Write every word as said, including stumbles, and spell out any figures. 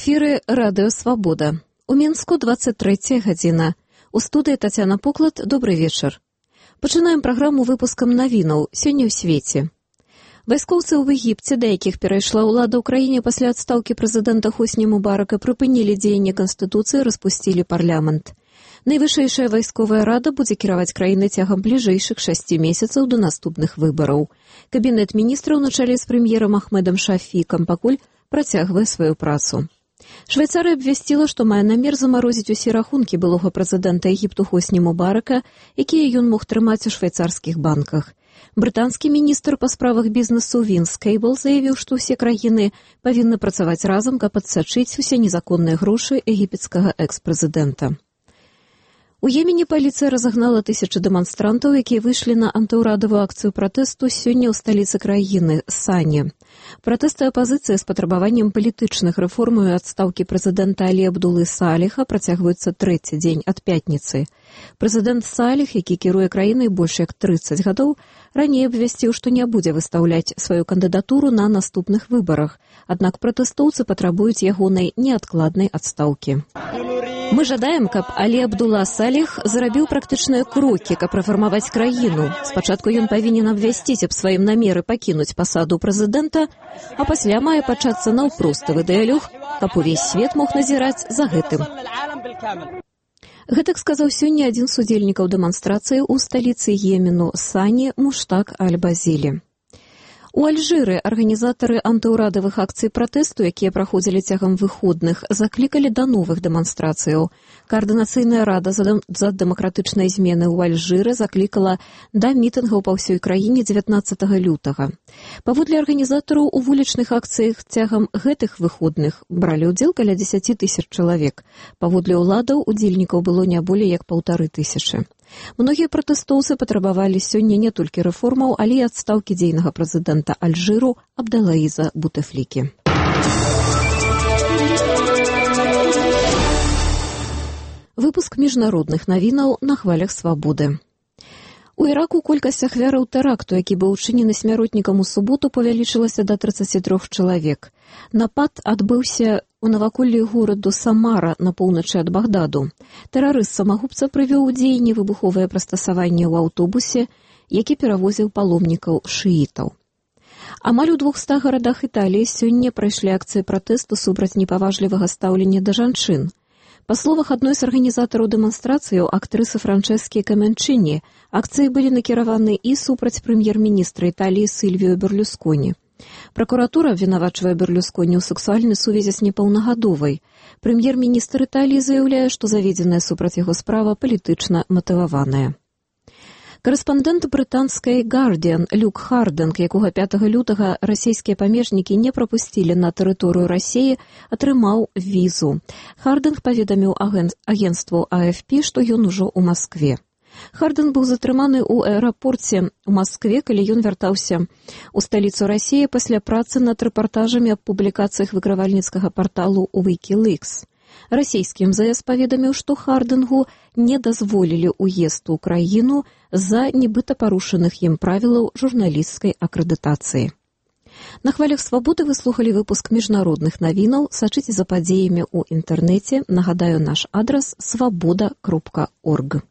эфіры радыё «Свабода». У Мінску двадцать трэцяя гадзіна. У студыі Тацяна Поклад, добрый вечар. Пачынаем праграму выпускам навінаў сёння ў свеце. Вайскоўцы ў Егіпце, да якіх перайшла ўлада ў краіне пасля адстаўкі прэзідэнта Хосні Мубарака, прыпынілі дзеянне Канстытуцыі, распусцілі парламент. Найвышэйшая вайсковая рада будзе кіраваць краінай цягам бліжэйшых шасці месяцаў да наступных выбараў. Кабінет міністраў на чале з прэм'ерам Ахмедам Шафікам пакуль працягвае сваю працу. Швейцарыя абвясціла, што мае намер замарозіць усе рахункі былога прэзідэнта Егіпту Хосні Мубарака, якія ён мог трымаць у швейцарскіх банках. Брытанскі міністр па справах бізнесу Вінс Кейбл заявіў, што ўсе краіны павінны працаваць разам, каб адсачыць усе незаконныя грошы егіпецкага экс-прэзідэнта. У Йемене паліцыя разагнала тысячы дэманстрантаў, якія выйшлі на антыўрадавую акцыю пратэсту сёння ў сталіцы краіны, Сане. Пратэсты апазіцыі з патрабаваннем палітычных рэформаў і адстаўкі прэзідэнта Алі Абдулы Саліха працягваюцца трэці дзень ад пятніцы. Прэзідэнт Саліх, які кіруе краінай больш як трыццаць гадоў, раней абвясціў, што не будзе выстаўляць сваю кандыдатуру на наступных выбарах, аднак пратэстоўцы патрабуюць ягонай неадкладнай адстаўкі. Мы жадаем, каб Алі Абдула Саліх зрабіў практычныя крокі, каб рэфармаваць краіну. Спачатку ён павінен абвясціць аб сваім намеры пакінуць пасаду прэзідэнта, а пасля мае пачацца наўпроставы дыялог, каб увесь свет мог назіраць за гэтым. Гэтак сказаў сёння адзін з удзельнікаў дэманстрацыі ў сталіцы Йемену Сане Муштак Аль-Базілі. У Альжыры арганізатары антыўрадавых акцый пратэсту, якія праходзілі цягам выходных, заклікалі да новых дэманстрацыяў. Каардынацыйная рада за дэмакратычнай змены ў Альжыры заклікала да мітынгаў па ўсёй краіне дзевятнаццатага лютага. Паводле арганізатараў, у вулічных акцыях цягам гэтых выходных бралі ўдзел каля дзесяці тысяч чалавек. Паводле ўладаў удзельнікаў было не болей як паўтары тысячы. Многія пратэстоўцы патрабавалі сёння не толькі рэформаў, але і адстаўкі дзейнага прэзідэнта Альжыру Абдалаіза Бутефлікі. Выпуск міжнародных навінаў на хвалях свабоды. У Іраку колькасць ахвяраў тэракту, які быў учынены смяротнікам у суботу, павялічылася да трыццаці трох чалавек. Напад адбыўся у наваколлі гораду Самара на поўначы ад Багдаду. Тэрарыст-самагубца прывёў у дзеянне выбуховае прыстасаванне ў аўтобусе, які перавозіў паломнікаў шыітаў. Амаль у двухстах гарадах Італіі сёння прайшлі акцыі пратэсту супраць непаважлівага стаўлення да жанчын. Па словах адной з арганізатараў дэманстрацыяў, актрысы Франчэскі Каменчыні, акцыі былі накіраваны і супраць прэм'ер-міністра Італіі Сільвіо Берлюсконі. Пракуратура абвінавачвае Берлюсконі ў сексуальнай сувязі з непаўнагадовай. Прэм'ер-міністр Італіі заяўляе, што заведзеная супраць яго справа палітычна матываваная. Карэспандэнт брытанскай «Гардіан» Люк Хардынг, якога пятага лютага расійскія памежнікі не прапусцілі на тэрыторыю Расіі, атрымаў візу. Хардынг паведаміў агенцтву А Эф Пі, што ён ужо ў Маскве. Хардынг быў затрыманы ў аэрапорце ў Маскве, калі ён вяртаўся ў сталіцу Расіі пасля працы над рэпартажамі аб публікацыях выкрывальніцкага парталу «Вікілікс». Расійскі эм зэ эс паведаміў, што Хардынгу не дазволілі ўезд у краіну з-за нібыта парушаных ім правілаў журналісцкай акрэдытацыі. На хвалях свабоды вы слухалі выпуск міжнародных навінаў. Сачыце за падзеямі ў інтэрнэце. Нагадаю, наш адрас свабода кропка орг.